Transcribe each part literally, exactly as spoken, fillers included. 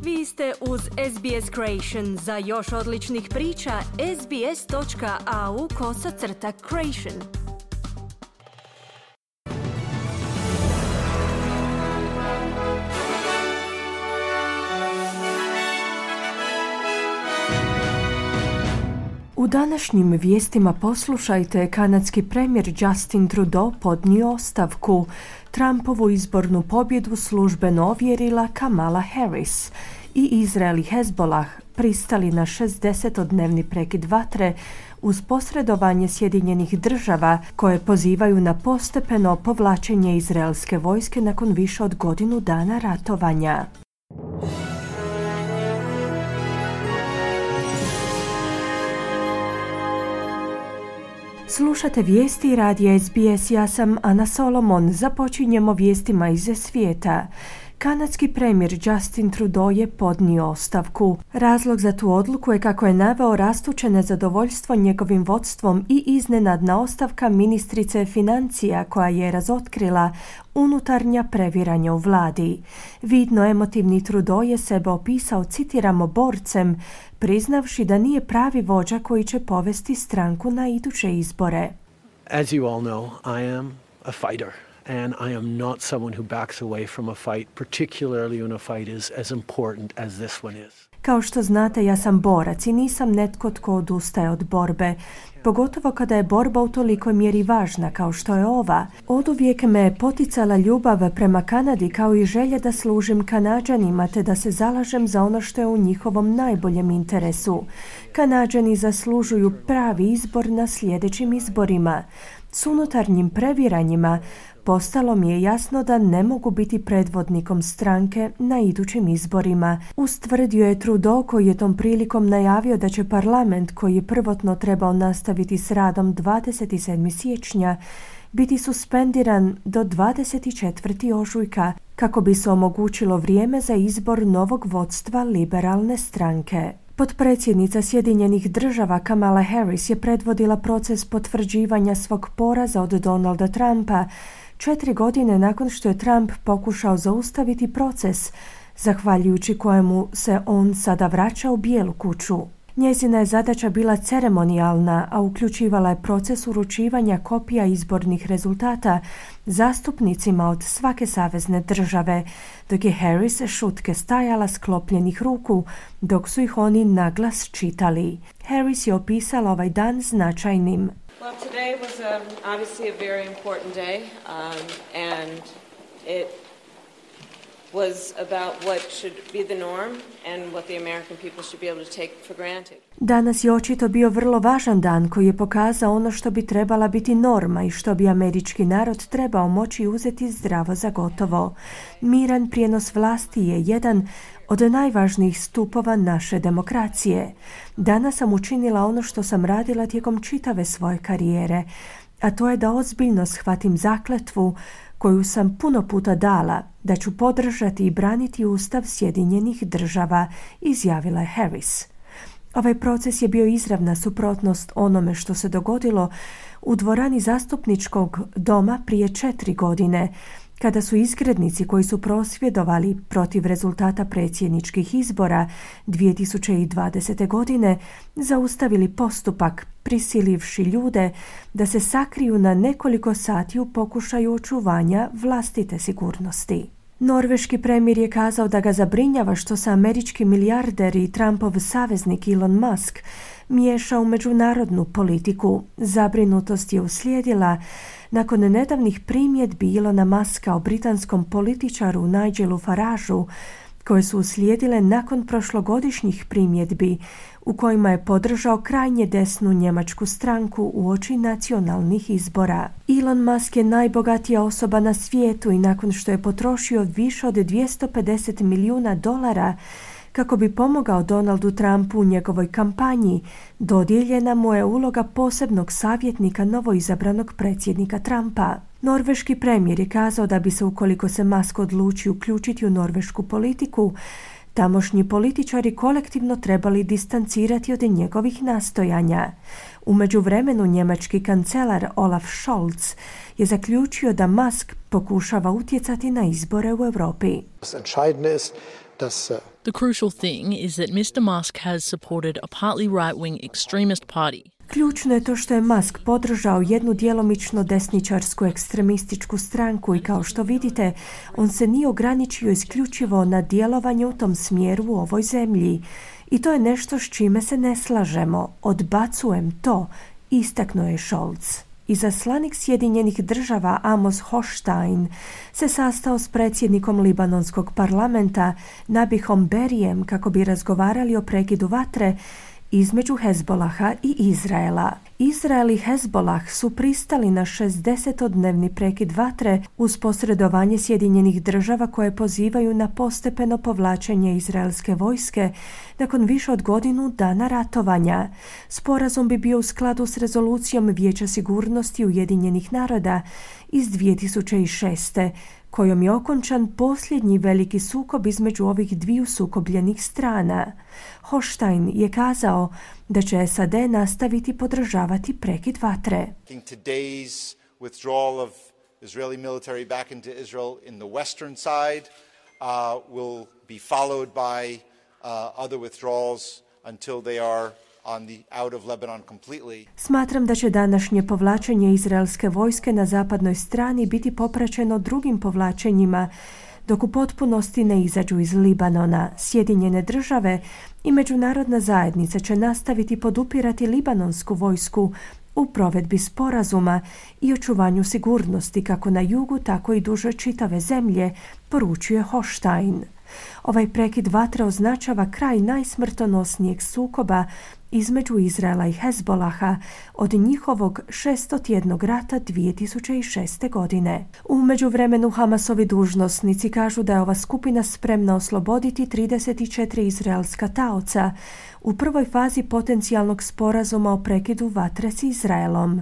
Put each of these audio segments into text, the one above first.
Vi ste uz S B S Creation. Za još odličnih priča, sbs.au kosacrta creation. U današnjim vijestima poslušajte, kanadski premijer Justin Trudeau podnio ostavku. Trumpovu izbornu pobjedu službeno ovjerila Kamala Harris i Izrael i Hezbollah pristali na šezdesetodnevni prekid vatre uz posredovanje Sjedinjenih država koje pozivaju na postepeno povlačenje izraelske vojske nakon više od godinu dana ratovanja. Slušate vijesti radija S B S, ja sam Ana Solomon. Započinjemo vijestima iz svijeta. Kanadski premijer Justin Trudeau je podnio ostavku. Razlog za tu odluku je, kako je naveo, rastuće nezadovoljstvo njegovim vodstvom i iznenadna ostavka ministrice financija koja je razotkrila unutarnja previranja u vladi. Vidno emotivni Trudeau je sebe opisao, citiramo, borcem, priznavši da nije pravi vođa koji će povesti stranku na iduće izbore. As you all know, I am a fighter. And I am not someone who backs away from a fight, particularly when a fight is as important as this one is. Kao što znate, ja sam borac i nisam netko tko odustaje od borbe, pogotovo kada je borba u tolikoj mjeri važna kao što je ova. Oduvijek me je poticala ljubav prema Kanadi, kao i želja da služim Kanađanima te da se zalažem za ono što je u njihovom najboljem interesu. Kanađani zaslužuju pravi izbor na sljedećim izborima. S unutarnjim previranjima postalo mi je jasno da ne mogu biti predvodnikom stranke na idućim izborima, ustvrdio je Trudeau, koji je tom prilikom najavio da će parlament, koji je prvotno trebao nastaviti s radom dvadeset sedmog siječnja, biti suspendiran do dvadeset četvrtog ožujka kako bi se omogućilo vrijeme za izbor novog vodstva liberalne stranke. Potpredsjednica Sjedinjenih država Kamala Harris je predvodila proces potvrđivanja svog poraza od Donalda Trumpa četiri godine nakon što je Trump pokušao zaustaviti proces, zahvaljujući kojemu se on sada vraća u Bijelu kuću. Njezina je zadaća bila ceremonijalna, a uključivala je proces uručivanja kopija izbornih rezultata zastupnicima od svake savezne države, dok je Harris šutke stajala sklopljenih ruku dok su ih oni naglas čitali. Harris je opisala ovaj dan značajnim. Well, today was um, obviously a very important day, um, and it was about what should be the norm and what the American people should be able to take for granted. Danas je očito bio vrlo važan dan koji je pokazao ono što bi trebala biti norma i što bi američki narod trebao moći uzeti zdravo za gotovo. Miran prijenos vlasti je jedan od najvažnijih stupova naše demokracije. Danas sam učinila ono što sam radila tijekom čitave svoje karijere, a to je da ozbiljno shvatim zakletvu koju sam puno puta dala, da ću podržati i braniti Ustav Sjedinjenih država, izjavila je Harris. Ovaj proces je bio izravna suprotnost onome što se dogodilo u dvorani zastupničkog doma prije četiri godine, kada su izgrednici koji su prosvjedovali protiv rezultata predsjedničkih izbora dvije tisuće dvadesete. godine zaustavili postupak, prisilivši ljude da se sakriju na nekoliko sati u pokušaju očuvanja vlastite sigurnosti. Norveški premijer je kazao da ga zabrinjava što se američki milijarder i Trumpov saveznik Elon Musk miješa u međunarodnu politiku. Zabrinutost je uslijedila nakon nedavnih primjedbi Elona Muska o britanskom političaru Nigelu Farageu, koje su uslijedile nakon prošlogodišnjih primjedbi u kojima je podržao krajnje desnu njemačku stranku uoči nacionalnih izbora. Elon Musk je najbogatija osoba na svijetu i nakon što je potrošio više od dvjesto pedeset milijuna dolara kako bi pomogao Donaldu Trumpu u njegovoj kampanji, dodijeljena mu je uloga posebnog savjetnika novoizabranog predsjednika Trumpa. Norveški premijer je kazao da bi se, ukoliko se Musk odluči uključiti u norvešku politiku, tamošnji političari kolektivno trebali distancirati od njegovih nastojanja. U međuvremenu njemački kancelar Olaf Scholz je zaključio da Musk pokušava utjecati na izbore u Europi. The crucial thing is that mister Musk has supported a partly right-wing extremist party. Ključno je to što je Musk podržao jednu djelomično desničarsku ekstremističku stranku i kao što vidite, on se nije ograničio isključivo na djelovanje u tom smjeru u ovoj zemlji. I to je nešto s čime se ne slažemo. Odbacujem to, istaknuo je Scholz. Izaslanik Sjedinjenih država Amos Hochstein se sastao s predsjednikom libanonskog parlamenta Nabihom Berrijem kako bi razgovarali o prekidu vatre između Hezbolaha i Izraela. Izrael i Hezbolah su pristali na šezdesetodnevni prekid vatre uz posredovanje Sjedinjenih država koje pozivaju na postepeno povlačenje izraelske vojske nakon više od godinu dana ratovanja. Sporazum bi bio u skladu s rezolucijom Vijeća sigurnosti Ujedinjenih naroda iz dvije tisuće šeste. kojom je okončan posljednji veliki sukob između ovih dviju sukobljenih strana. Hochstein je kazao da će S A D nastaviti podržavati prekid vatre. Today's withdrawal of Israeli military back into Israel in the western side uh, will be followed by uh, other withdrawals until they are on the out of Lebanon completely. Smatram da će današnje povlačenje izraelske vojske na zapadnoj strani biti popraćeno drugim povlačenjima dok u potpunosti ne izađu iz Libanona. Sjedinjene države i međunarodna zajednica će nastaviti podupirati libanonsku vojsku u provedbi sporazuma i očuvanju sigurnosti kako na jugu, tako i duže čitave zemlje, poručuje Hochstein. Ovaj prekid vatre označava kraj najsmrtonosnijeg sukoba između Izraela i Hezbolaha od njihovog šestotjednog rata dvije tisuće šeste. godine. U međuvremenu Hamasovi dužnosnici kažu da je ova skupina spremna osloboditi trideset četiri izraelska taoca u prvoj fazi potencijalnog sporazuma o prekidu vatre s Izraelom.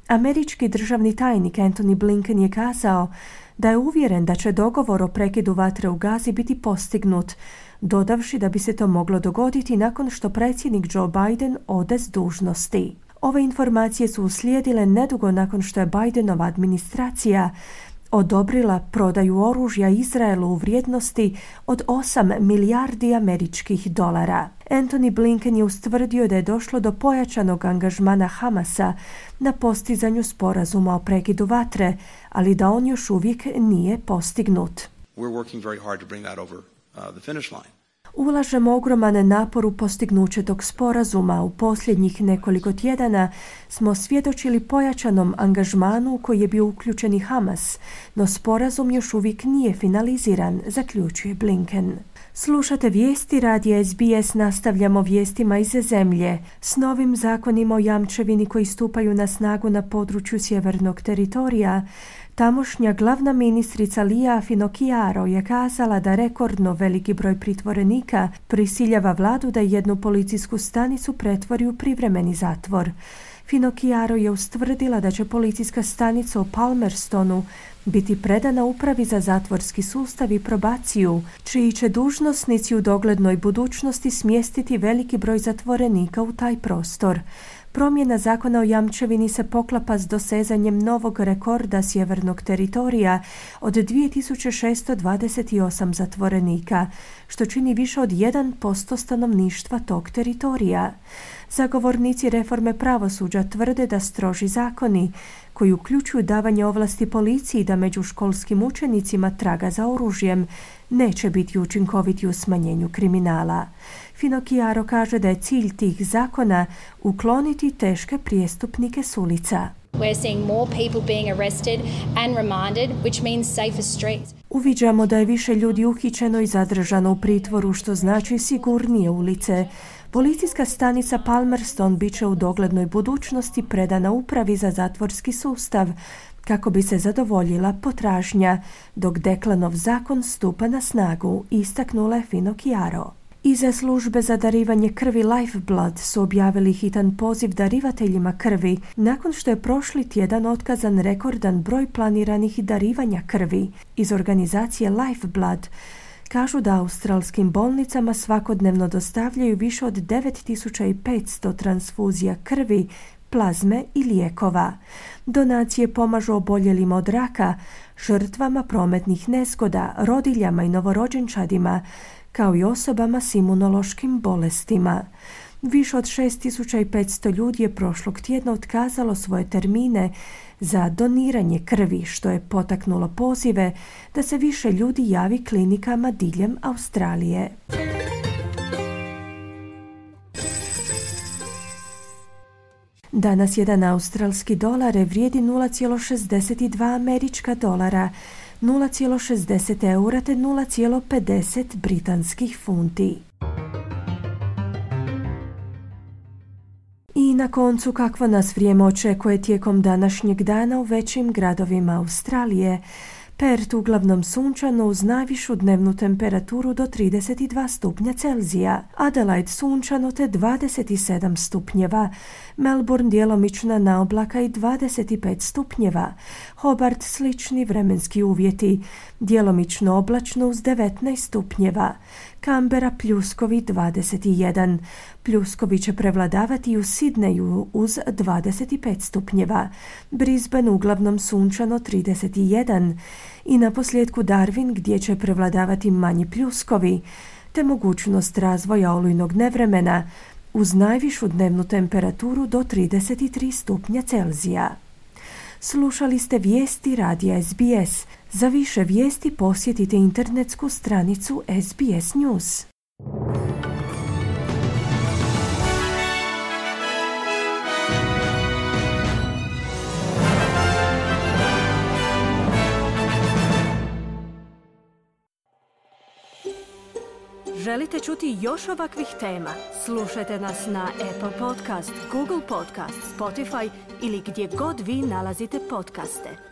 Američki državni tajnik Antony Blinken je kazao da je uvjeren da će dogovor o prekidu vatre u Gazi biti postignut, dodavši da bi se to moglo dogoditi nakon što predsjednik Joe Biden ode s dužnosti. Ove informacije su uslijedile nedugo nakon što je Bidenova administracija odobrila prodaju oružja Izraelu u vrijednosti od osam milijardi američkih dolara. Antony Blinken je ustvrdio da je došlo do pojačanog angažmana Hamasa na postizanju sporazuma o prekidu vatre, ali da on još uvijek nije postignut. We're working very hard to bring that over uh, the finish line. Ulažemo ogroman napor u postignuće tog sporazuma. U posljednjih nekoliko tjedana smo svjedočili pojačanom angažmanu u koji je bio uključen i Hamas, no sporazum još uvijek nije finaliziran, zaključuje Blinken. Slušate vijesti radija S B S, nastavljamo vijestima iz zemlje. S novim zakonima o jamčevini koji stupaju na snagu na području sjevernog teritorija, tamošnja glavna ministrica Lia Finocchiaro je kazala da rekordno veliki broj pritvorenika prisiljava vladu da jednu policijsku stanicu pretvori u privremeni zatvor. Finocchiaro je ustvrdila da će policijska stanica u Palmerstonu biti predana upravi za zatvorski sustav i probaciju, čiji će dužnosnici u doglednoj budućnosti smjestiti veliki broj zatvorenika u taj prostor. Promjena zakona o jamčevini se poklapa s dosezanjem novog rekorda sjevernog teritorija od dvije tisuće šesto dvadeset osam zatvorenika, što čini više od jedan posto stanovništva tog teritorija. Zagovornici reforme pravosuđa tvrde da stroži zakoni, koji uključuju davanje ovlasti policiji da među školskim učenicima traga za oružjem, neće biti učinkoviti u smanjenju kriminala. Finocchiaro kaže da je cilj tih zakona ukloniti teške prijestupnike s ulica. We're seeing more people being arrested and remanded, which means safer streets. Uviđamo da je više ljudi uhićeno i zadržano u pritvoru, što znači sigurnije ulice. Policijska stanica Palmerston bit će u doglednoj budućnosti predana upravi za zatvorski sustav kako bi se zadovoljila potražnja, dok Deklanov zakon stupa na snagu, istaknula je Finocchiaro. Iza službe za darivanje krvi Lifeblood su objavili hitan poziv darivateljima krvi nakon što je prošli tjedan otkazan rekordan broj planiranih darivanja krvi. Iz organizacije Lifeblood Kažu da australskim bolnicama svakodnevno dostavljaju više od devet tisuća petsto transfuzija krvi, plazme i lijekova. Donacije pomažu oboljelima od raka, žrtvama prometnih nezgoda, rodiljama i novorođenčadima, kao i osobama s imunološkim bolestima. Više od šest tisuća petsto ljudi je prošlog tjedna otkazalo svoje termine za doniranje krvi, što je potaknulo pozive da se više ljudi javi klinikama diljem Australije. Danas jedan australski dolar vrijedi nula zarez šezdeset dva američka dolara, nula zarez šezdeset eura te nula zarez pedeset britanskih funti. I na koncu, kakvo nas vrijeme očekuje tijekom današnjeg dana u većim gradovima Australije. Perth uglavnom sunčano uz najvišu dnevnu temperaturu do trideset dva stupnja Celzija, Adelaide sunčano te dvadeset sedam stupnjeva, Melbourne djelomična naoblaka i dvadeset pet stupnjeva, Hobart slični vremenski uvjeti, djelomično oblačno uz devetnaest stupnjeva, Canberra pljuskovi dvadeset jedan, pljuskovi će prevladavati u Sidneju uz dvadeset pet stupnjeva, Brisbane uglavnom sunčano trideset jedan i na posljedku Darwin gdje će prevladavati manji pljuskovi, te mogućnost razvoja olujnog nevremena uz najvišu dnevnu temperaturu do trideset tri stupnja Celzija. Slušali ste vijesti radija S B S. Za više vijesti posjetite internetsku stranicu S B S News. Želite čuti još ovakvih tema? Slušajte nas na Apple Podcast, Google Podcast, Spotify ili gdje god vi nalazite podcaste.